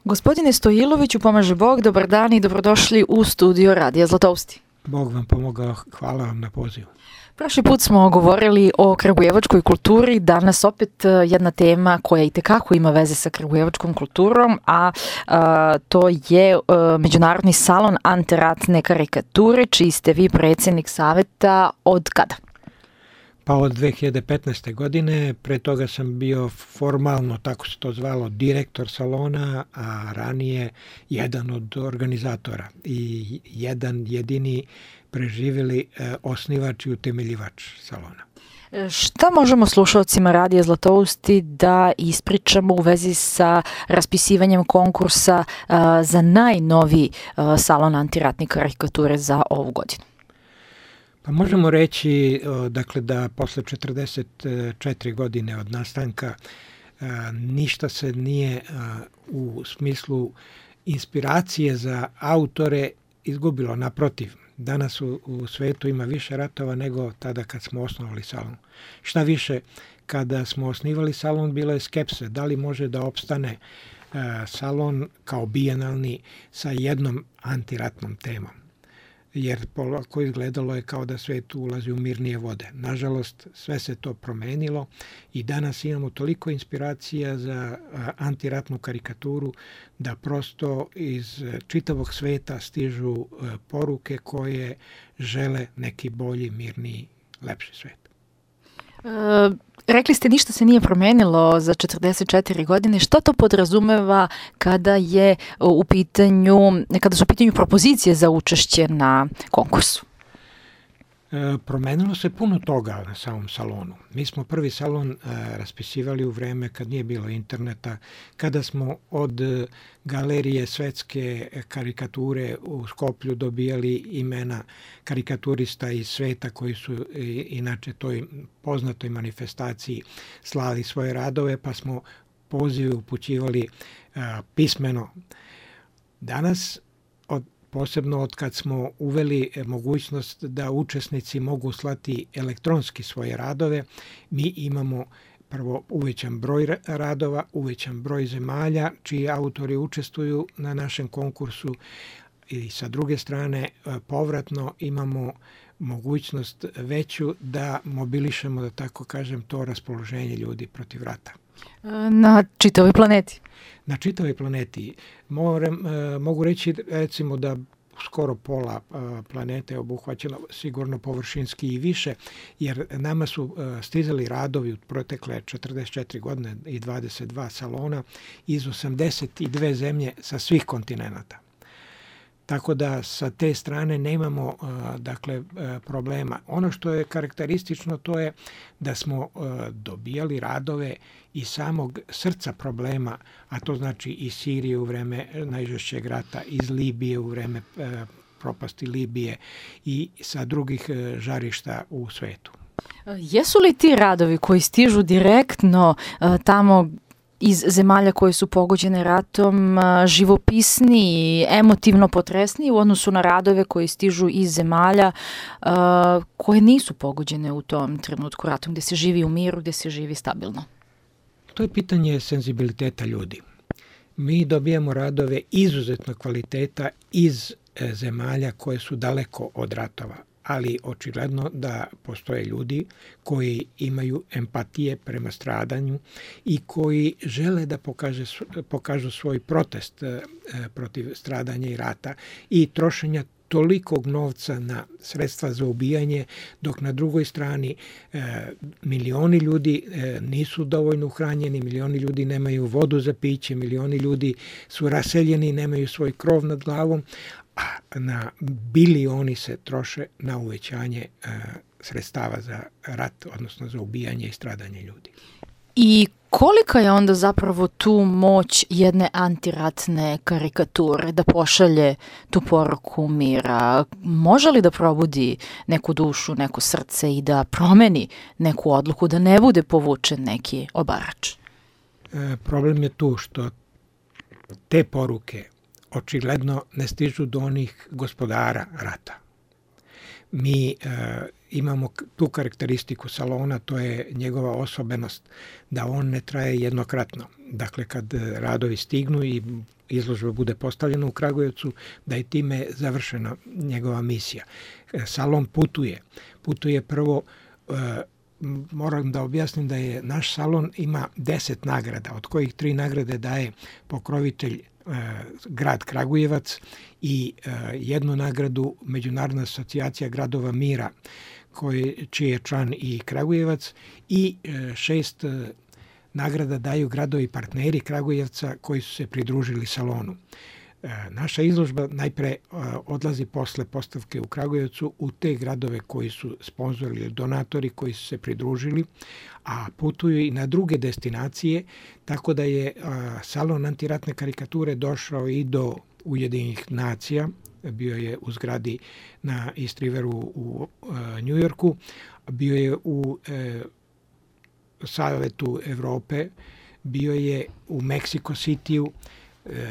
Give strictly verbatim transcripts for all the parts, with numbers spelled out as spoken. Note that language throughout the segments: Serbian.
Gospodine Stojiloviću, pomaže Bog, dobar dan i dobrodošli u studio Radija Zlatousti. Bog vam pomogao, hvala vam na pozivu. Prošli put smo govorili o kragujevačkoj kulturi, danas opet jedna tema koja itekako ima veze sa kragujevačkom kulturom, a, a to je a, Međunarodni salon antiratne karikature, čiji ste vi predsjednik saveta od kada? Pa od dve hiljade petnaeste. godine, pre toga sam bio formalno, tako se to zvalo, direktor salona, a ranije jedan od organizatora i jedan jedini preživjeli eh, osnivač i utemeljivač salona. Šta možemo slušalcima Radija Zlatousti da ispričamo u vezi sa raspisivanjem konkursa uh, za najnoviji uh, salon antiratne karikature za ovu godinu? Pa možemo reći dakle, da posle četrdeset četiri godine od nastanka ništa se nije u smislu inspiracije za autore izgubilo. Naprotiv, danas u, u svetu ima više ratova nego tada kad smo osnovali salon. Šta više, kada smo osnivali salon bilo je skepse da li može da opstane salon kao bijenalni sa jednom antiratnom temom. Jer polako izgledalo je kao da svet ulazi u mirnije vode. Nažalost, sve se to promenilo i danas imamo toliko inspiracija za antiratnu karikaturu da prosto iz čitavog sveta stižu poruke koje žele neki bolji, mirniji, lepši svet. E, rekli ste ništa se nije promenilo za četrdeset četiri godine. Što to podrazumeva kada je u pitanju, kada su u pitanju propozicije za učešće na konkursu? E, promenilo se puno toga na samom salonu. Mi smo prvi salon e, raspisivali u vreme kad nije bilo interneta, kada smo od galerije svetske karikature u Skoplju dobijali imena karikaturista iz sveta koji su i, inače toj poznatoj manifestaciji slali svoje radove, pa smo pozive upućivali e, pismeno. Danas od posebno od kad smo uveli mogućnost da učesnici mogu slati elektronski svoje radove, mi imamo prvo uvećan broj radova, uvećan broj zemalja čiji autori učestvuju na našem konkursu i sa druge strane povratno imamo mogućnost veću da mobilišemo, da tako kažem, to raspoloženje ljudi protiv rata. Na čitavoj planeti? Na čitavoj planeti. Moram, mogu reći recimo da skoro pola planete je obuhvaćeno, sigurno površinski i više, jer nama su stizali radovi u protekle četrdeset četiri godine i dvadeset dva salona iz osamdeset dve zemlje sa svih kontinenata. Tako da sa te strane nemamo dakle problema. Ono što je karakteristično to je da smo dobijali radove iz samog srca problema, a to znači iz Sirije u vreme najžešćeg rata, iz Libije u vreme propasti Libije i sa drugih žarišta u svetu. Jesu li ti radovi koji stižu direktno tamo iz zemalja koje su pogođene ratom živopisni i emotivno potresni u odnosu na radove koji stižu iz zemalja uh, koje nisu pogođene u tom trenutku ratom, gdje se živi u miru, gdje se živi stabilno? To je pitanje senzibiliteta ljudi. Mi dobijamo radove izuzetnog kvaliteta iz zemalja koje su daleko od ratova, ali očigledno da postoje ljudi koji imaju empatije prema stradanju i koji žele da pokaže, pokažu svoj protest e, protiv stradanja i rata i trošenja tolikog novca na sredstva za ubijanje, dok na drugoj strani e, milioni ljudi e, nisu dovoljno uhranjeni, milioni ljudi nemaju vodu za piće, milioni ljudi su raseljeni, nemaju svoj krov nad glavom, a na bilioni se troše na uvećanje e, sredstava za rat, odnosno za ubijanje i stradanje ljudi. I kolika je onda zapravo tu moć jedne antiratne karikature da pošalje tu poruku mira? Može li da probudi neku dušu, neko srce i da promeni neku odluku, da ne bude povučen neki obarač? E, problem je tu što te poruke očigledno ne stižu do onih gospodara rata. Mi e, imamo tu karakteristiku salona, to je njegova osobenost, da on ne traje jednokratno. Dakle, kad radovi stignu i izložba bude postavljena u Kragujevcu, da je time završena njegova misija. Salon putuje. Putuje prvo, moram da objasnim da je naš salon ima deset nagrada, od kojih tri nagrade daje pokrovitelj grad Kragujevac i jednu nagradu Međunarodna asocijacija gradova mira, koji, čiji je član i Kragujevac, i šest nagrada daju gradovi partneri Kragujevca koji su se pridružili salonu. Naša izložba najpre odlazi posle postavke u Kragujevcu u te gradove koji su sponzori ili donatori koji su se pridružili, a putuju i na druge destinacije, tako da je salon antiratne karikature došao i do Ujedinjenih nacija, bio je u zgradi na East Riveru u Njujorku, bio je u Savetu Evrope, bio je u Meksiko Cityu,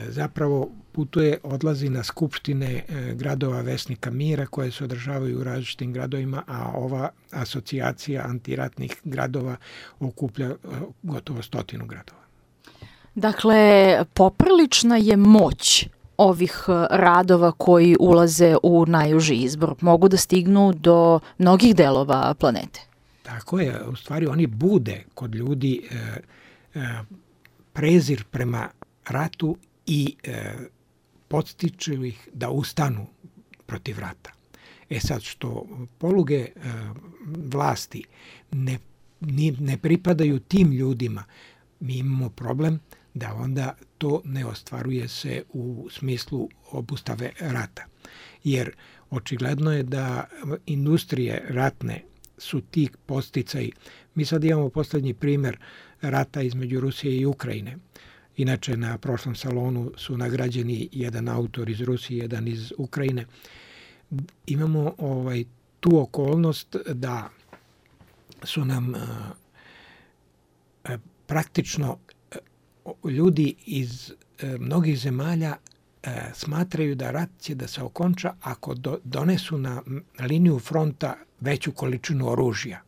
zapravo putuje, odlazi na skupštine gradova Vesnika mira koje se održavaju u različitim gradovima, a ova asocijacija antiratnih gradova okuplja gotovo stotinu gradova. Dakle, poprilična je moć ovih radova koji ulaze u najuži izbor. Mogu da stignu do mnogih delova planete. Tako je, u stvari oni bude kod ljudi e, e, prezir prema ratu i e, podstiču ih da ustanu protiv rata. E sad, što poluge e, vlasti ne, ne pripadaju tim ljudima, mi imamo problem da onda to ne ostvaruje se u smislu obustave rata. Jer očigledno je da industrije ratne su ti podsticaji. Mi sad imamo poslednji primer rata između Rusije i Ukrajine. Inače, na prošlom salonu su nagrađeni jedan autor iz Rusije, jedan iz Ukrajine. Imamo ovaj, tu okolnost da su nam a, praktično a, ljudi iz a, mnogih zemalja a, smatraju da rat će da se okonča ako do, donesu na liniju fronta veću količinu oružja.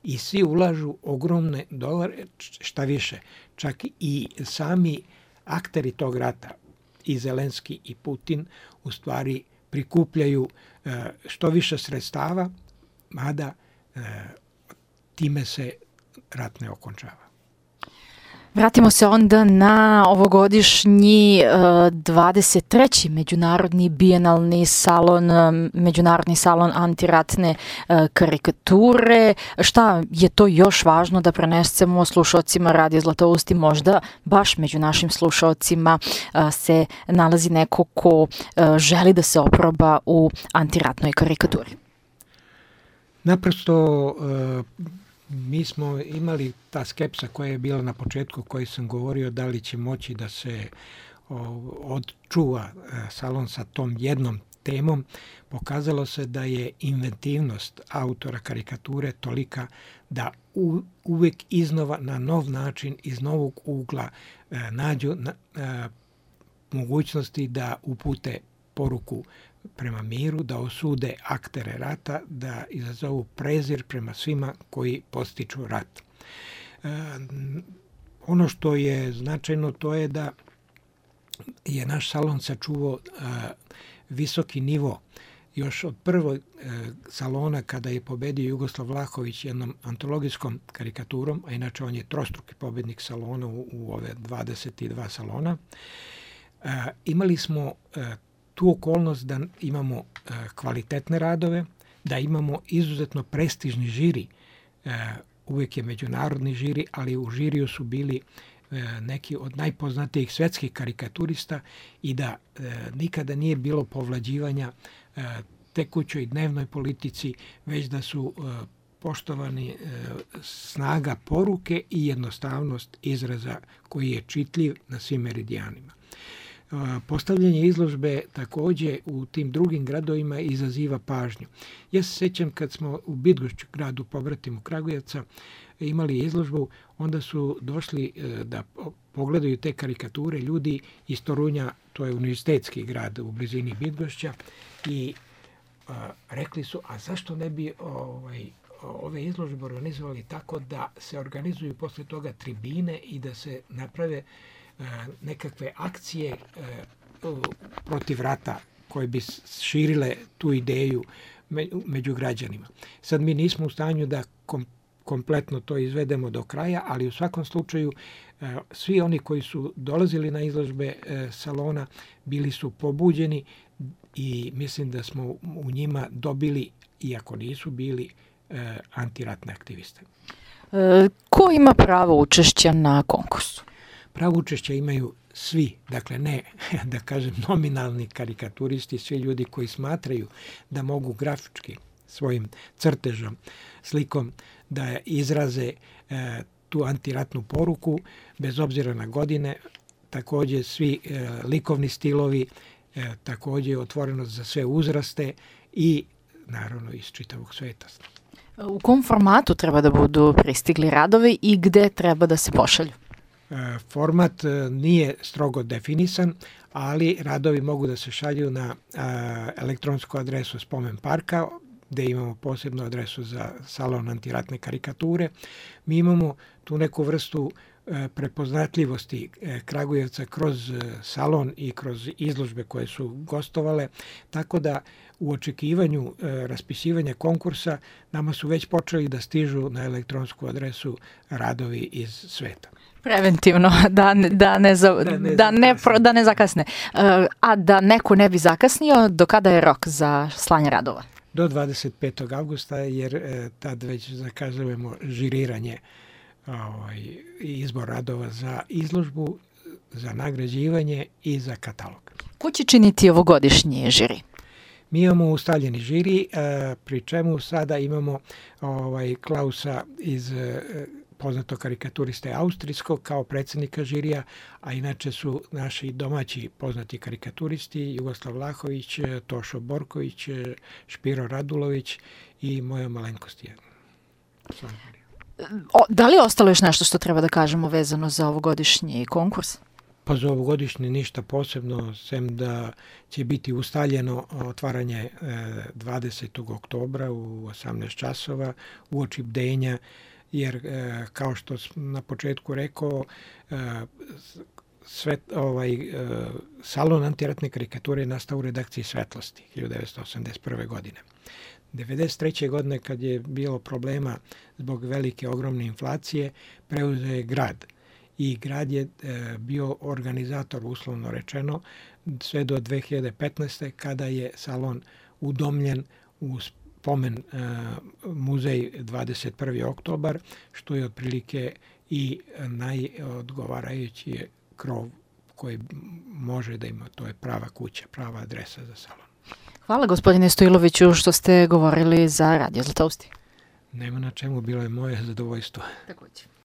I svi ulažu ogromne dolare, šta više, čak i sami akteri tog rata, i Zelenski i Putin, u stvari prikupljaju što više sredstava, mada time se rat ne okončava. Vratimo se onda na ovogodišnji dvadeset treći Međunarodni bijenalni salon, Međunarodni salon antiratne karikature. Šta je to još važno da prenesemo slušalcima Radio Zlatousti? Možda baš među našim slušalcima se nalazi neko ko želi da se oproba u antiratnoj karikaturi. Naprosto mi smo imali ta skepsa koja je bila na početku, koji sam govorio da li će moći da se odčuva salon sa tom jednom temom. Pokazalo se da je inventivnost autora karikature tolika da u, uvek iznova na nov način, iz novog ugla nađu na, a, mogućnosti da upute poruku prema miru, da osude aktere rata, da izazovu prezir prema svima koji podstiču rat. E, ono što je značajno to je da je naš salon sačuvao e, visoki nivo. Još od prvog e, salona kada je pobedio Jugoslav Vlahović jednom antologijskom karikaturom, a inače on je trostruki pobednik salona u, u ove dvadeset dva salona, e, imali smo e, tu okolnost da imamo e, kvalitetne radove, da imamo izuzetno prestižni žiri, e, uvijek je međunarodni žiri, ali u žiriju su bili e, neki od najpoznatijih svetskih karikaturista i da e, nikada nije bilo povlađivanja e, tekućoj dnevnoj politici, već da su e, poštovani e, snaga poruke i jednostavnost izraza koji je čitljiv na svim meridijanima. Postavljanje izložbe takođe u tim drugim gradovima izaziva pažnju. Ja se sećam kad smo u Bydgoszczu, gradu pobratimu Kragujevca, imali izložbu, onda su došli da pogledaju te karikature ljudi iz Torunja, to je univerzitetski grad u blizini Bydgoszcza, i rekli su, a zašto ne bi ovaj, ove izložbe organizovali tako da se organizuju posle toga tribine i da se naprave nekakve akcije protiv rata koje bi širile tu ideju među građanima. Sad mi nismo u stanju da kom, kompletno to izvedemo do kraja, ali u svakom slučaju svi oni koji su dolazili na izložbe salona bili su pobuđeni i mislim da smo u njima dobili, iako nisu bili, antiratne aktiviste. E, ko ima pravo učešća na konkursu? Pravo učešća imaju svi, dakle ne, da kažem, nominalni karikaturisti, svi ljudi koji smatraju da mogu grafički svojim crtežom, slikom da izraze e, tu antiratnu poruku, bez obzira na godine, takođe svi e, likovni stilovi, e, takođe otvorenost za sve uzraste i naravno iz čitavog sveta. U kom formatu treba da budu pristigli radovi i gde treba da se pošalju? Format nije strogo definisan, ali radovi mogu da se šalju na elektronsku adresu Spomen parka, gde imamo posebnu adresu za salon antiratne karikature. Mi imamo tu neku vrstu prepoznatljivosti Kragujevca kroz salon i kroz izložbe koje su gostovale, tako da u očekivanju raspisivanja konkursa nama su već počeli da stižu na elektronsku adresu radovi iz sveta. Preventivno, da, da, ne, za, da, ne, da, ne, da ne zakasne. A da neko ne bi zakasnio, do kada je rok za slanje radova? Do dvadeset petog avgusta, jer tad već zakazujemo žiriranje ovaj, izbor radova za izložbu, za nagrađivanje i za katalog. Ko će činiti ovogodišnji žiri? Mi imamo ustaljeni žiri, pri čemu sada imamo ovaj, Klausa iz poznatog karikaturiste austrijskog kao predsjednika žirija, a inače su naši domaći poznati karikaturisti Jugoslav Vlahović, Tošo Borković, Špiro Radulović i moja malenkost je. O, da li je ostalo još nešto što treba da kažemo vezano za ovogodišnji konkurs? Pa za ovogodišnji ništa posebno, sem da će biti ustaljeno otvaranje dvadesetog oktobra u osamnaest časova uoči bdenja, jer kao što sam na početku rekao, sve, ovaj, salon antiratne karikature je nastao u redakciji Svetlosti hiljadu devetsto osamdeset prve. godine. devedeset treće. godine, kad je bilo problema zbog velike, ogromne inflacije, preuzeo je grad. I grad je bio organizator, uslovno rečeno, sve do dve hiljade petnaeste. kada je salon udomljen u spomen uh, muzej dvadeset prvi oktobar, što je otprilike i najodgovarajući krov koji može da ima. To je prava kuća, prava adresa za salon. Hvala gospodine Stojloviću što ste govorili za Radio Zlatousti. Nema na čemu, bilo je moje zadovoljstvo. Takođe.